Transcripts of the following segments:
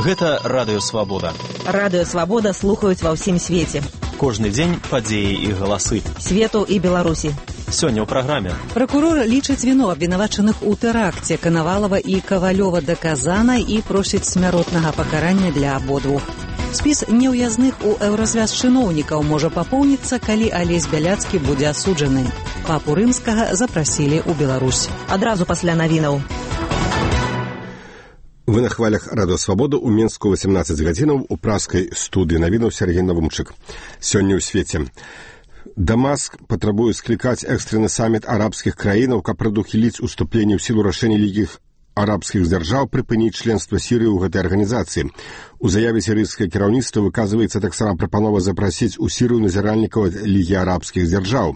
Гэта Радыё Свабода. Радыё Свабода слухаюць ва ўсім свеце. Кожны дзень падзеі і галасы. Свету і Беларусі. Сёння ў праграме. Пракурор лічыць віну абвінавачаных у тэракце Канавалова і Кавалёва даказана і просіць смяротнага пакарання для абодвух. Спіс неўязных у еўразвяз чыноўнікаў можа папоўніцца, калі Алесь Бяляцкі будзе асуджаны. Папу Рымскага запрасілі ў Беларусь. Адразу пасля навінаў. Вы на хвалях Радыё Свабода ў Мінску 18 гадзінаў у праскай студыі навінаў Сергей Навумчык. Сёння ў свеце. Дамаск патрабуе склікаць экстраны саміт арабскіх краінаў, каб прадухіліць уступленне ў сілу рашэння Лігі арабскіх дзяржаў прыпыніць членства Сірыі ў гэтай арганізацыі. У заяве сірыйскае кіраўніцтва выказваецца таксама прапанова запрасіць у Сірыю назіральнікаў ад Лігі арабскіх дзяржаў.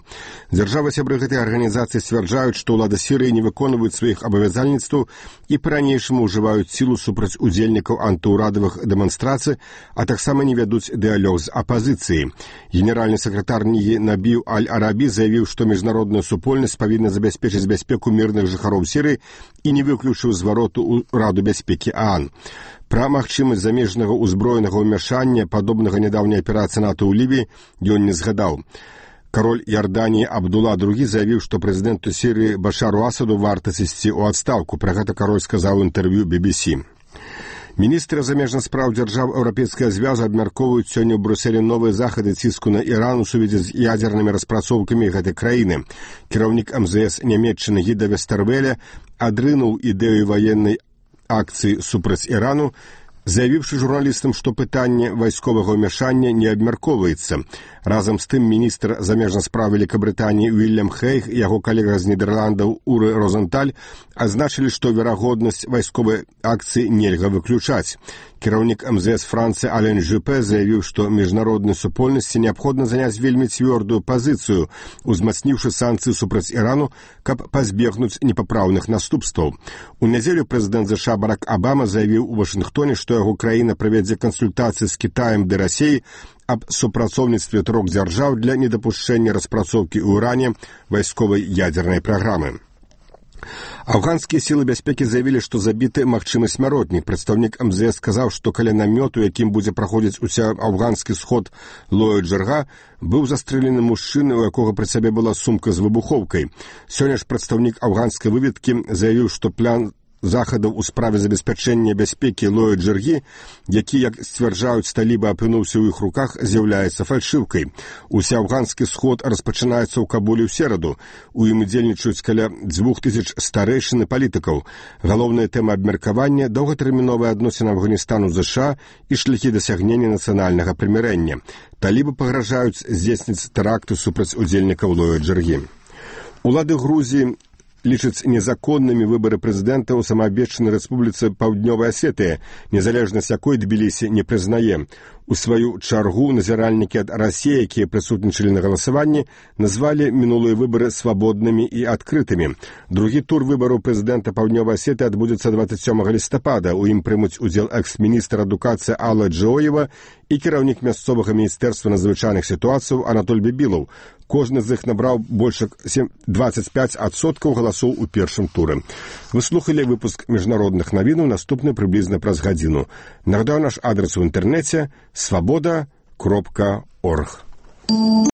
Дзяржавы-сябры гэтай арганізацыі сцвярджаюць, што ўлада Сірыі не выконваюць сваіх абавязальніцтваў і па-ранейшаму ўжываюць сілу супраць удзельнікаў антыўрадавых дэманстрацый, а таксама не вядуць дыялог з апазіцыяй. Генеральны сакратар Лігі Набіў Аль-Арабі заявіў, што міжнародная супольнасць павінна забяспечыць бяспеку мірных жыхароў Сірыі і не выключыў звароту ў Раду бяспекі ААН. Пра магчымасць замежнага ўзброенага ўмяшання, падобнага нядаўняй аперацыі НАТО ў Лівіі, ён не згадаў. Кароль Ярданіі Абдула II заявіў, што прэзідэнту Сірыі Башару Асаду варта сысці ў адстаўку. Пра гэта кароль сказаў у інтэрв'ю BBC. Міністры замежных спраў дзяржаў Еўрапейскага звязу абмяркоўваюць сёння ў Брюсселі новыя захады ціску на Іран у сувязі з ядзернымі распрацоўкамі гэтай краіны. Кіраўнік МЗС Нямецчыны Гіда Вестэрвеля адрынуў ідэю ваеннай акцыі супраць Ірану, заявіўшы журналістам, што пытанне вайсковага ўмяшання не абмяркоўваецца. Разам з тым міністр замежных спраў Великабрытаніі Уільям Хейг і яго калега з Нідерландаў Уры Розенталь азначылі, што верагоднасць вайсковай акцыі нельга выключаць. Кіраўнік МЗС Францыі Ален Жюпе заявіў, што міжнароднай супольнасці неабходна заняць вельмі цвёрдую пазіцыю, узмацніўшы санкцыі супраць Ірану, каб пазбегнуць непапраўных наступстваў. У нядзелю прэзідэнт ЗША Барак Абама заявіў у Вашынгтоне, што яго краіна правядзе кансультацыі з Кітаем ды Расіяй аб супрацоўніцтве трох дзяржаў для недапушчэння распрацоўкі ў Іране вайсковай ядзернай праграмы. Афганскія сілы бяспекі заявілі, што забіты магчымы смяротнік. Прадстаўнік МЗС сказаў, што каля намёту, якім будзе праходзіць усеафганскі сход Лоя Джарга, быў застрэлены мужчына, у якога пры сабе была сумка з выбухоўкай. Сёння ж прадстаўнік афганскай выведкі заявіў, што план захадаў у справе забеспячэння бяспекі Лоя Джаргі, які, як сцвярджаюць, таліба апынуўся ў іх руках, з'яўляецца фальшыўкай. Усеафганскі сход распачынаецца ў Кабуле ў сераду. У ім удзельнічаюць каля 2000 старэйшын і палітыкаў. Галоўная тэма абмеркавання – доўгатэрміновыя адносіны Афганістану з ЗША і шляхі дасягнення нацыянальнага прымірэння. Талібы пагражаюць здзейсніць тэракты супраць удзельнікаў Лоя Джаргі. Улады Грузіі лічаць незаконнымі выбары прэзідэнта ў самаабвешчанай рэспубліцы Паўднёвая Асетыя, незалежнасць якой Тбілісі не прызнае. У сваю чаргу назіральнікі ад Расіі, якія прысутнічалі на галасаванні, назвалі мінулыя выбары свабоднымі і адкрытымі. Другі тур выбараў прэзідэнта Паўднёвай Асетыі адбудзецца 27 лістапада. У ім прымуць удзел экс-міністр адукацыі Алла Джоева і кіраўнік мясцовага міністэрства надзвычайных сітуацыяў Анатоль Бібілаў. Кожны з іх набраў больш 25% галасоў у першым туры. Вы слухалі выпуск міжнародных навінаў, наступны прыблізна праз гадзіну. Нагадаю наш адрес у інтэрнэце свабода.орг.